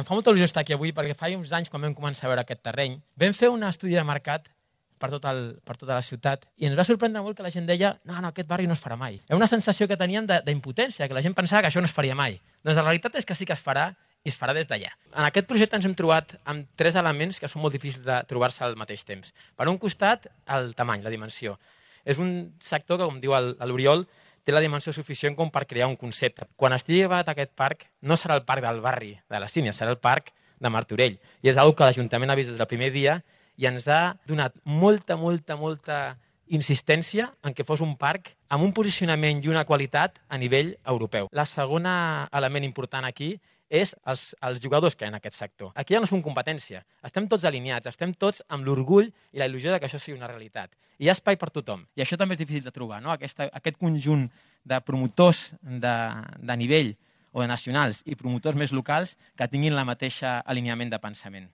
Em fa molta il·lusió estar aquí avui perquè fa uns anys, quan vam començar a veure aquest terreny, vam fer un estudi de mercat per tota la ciutat i ens va sorprendre molt que la gent deia no, aquest barri no es farà mai. Era una sensació que teníem d'impotència, que la gent pensava que això no es faria mai. Doncs la realitat és que sí que es farà i es farà des d'allà. En aquest projecte ens hem trobat amb 3 elements que són molt difícils de trobar-se al mateix temps. Per un costat, el tamany, la dimensió. És un sector que, com diu l'Oriol, té la dimensió suficient com per crear un concepte. Quan estigui acabat aquest parc, no serà el parc del barri de la Sínia, serà el parc de Martorell. I és una cosa que l'Ajuntament ha vist des del primer dia i ens ha donat molta insistència en que fos un parc amb un posicionament i una qualitat a nivell europeu. La segona element important aquí és els jugadors que hi ha en aquest sector. Aquí ja no som competència, estem tots alineats, estem tots amb l'orgull i la il·lusió que això sigui una realitat. I hi ha espai per tothom. I això també és difícil de trobar, no? Aquest conjunt de promotors de nivell o de nacionals i promotors més locals que tinguin la mateixa alineament de pensament.